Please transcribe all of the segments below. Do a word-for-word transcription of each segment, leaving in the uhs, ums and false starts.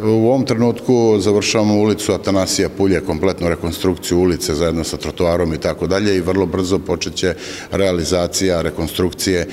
U ovom trenutku završavamo ulicu Atanasija Pulje, kompletnu rekonstrukciju ulice zajedno sa trotoarom i tako dalje i vrlo brzo počeće realizacija rekonstrukcije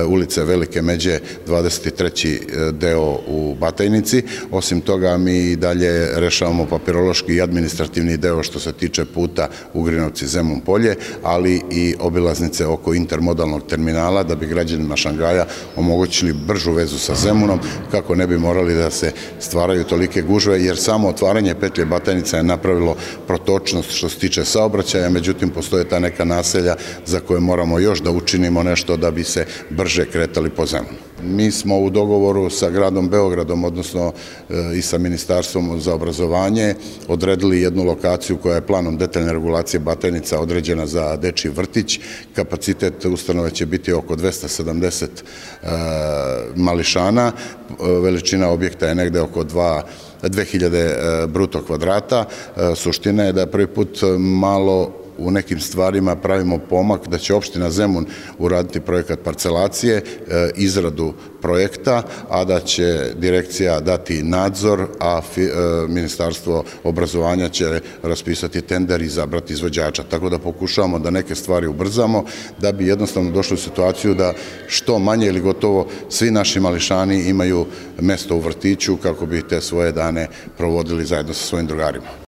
ulice Velike Međe, dvadeset treći deo u Batajnici. Osim toga, mi i dalje rešavamo papirološki i administrativni deo što se tiče puta Ugrinovci-Zemun Polje, ali i obilaznice oko intermodalnog terminala da bi građanima Šangaja omogućili bržu vezu sa Zemunom, kako ne bi morali da se stvaraju tolike gužve, jer samo otvaranje petlje Batajnica je napravilo protočnost što se tiče saobraćaja, međutim postoje ta neka naselja za koje moramo još da učinimo nešto da bi se brže kretali po Zemunu. Mi smo u dogovoru sa gradom Beogradom, odnosno i sa Ministarstvom za obrazovanje, odredili jednu lokaciju koja je planom detaljne regulacije Batajnica određena za dečiji vrtić. Kapacitet ustanove će biti oko dvesta sedamdeset mališana, veličina objekta je negde oko dve hiljade bruto kvadrata. Suština je da je prvi put malo u nekim stvarima pravimo pomak, da će opština Zemun uraditi projekat parcelacije, izradu projekta, a da će direkcija dati nadzor, a Ministarstvo obrazovanja će raspisati tender i izabrati izvođača. Tako da pokušavamo da neke stvari ubrzamo, da bi jednostavno došli u situaciju da što manje ili gotovo svi naši mališani imaju mesto u vrtiću kako bi te svoje dane provodili zajedno sa svojim drugarima.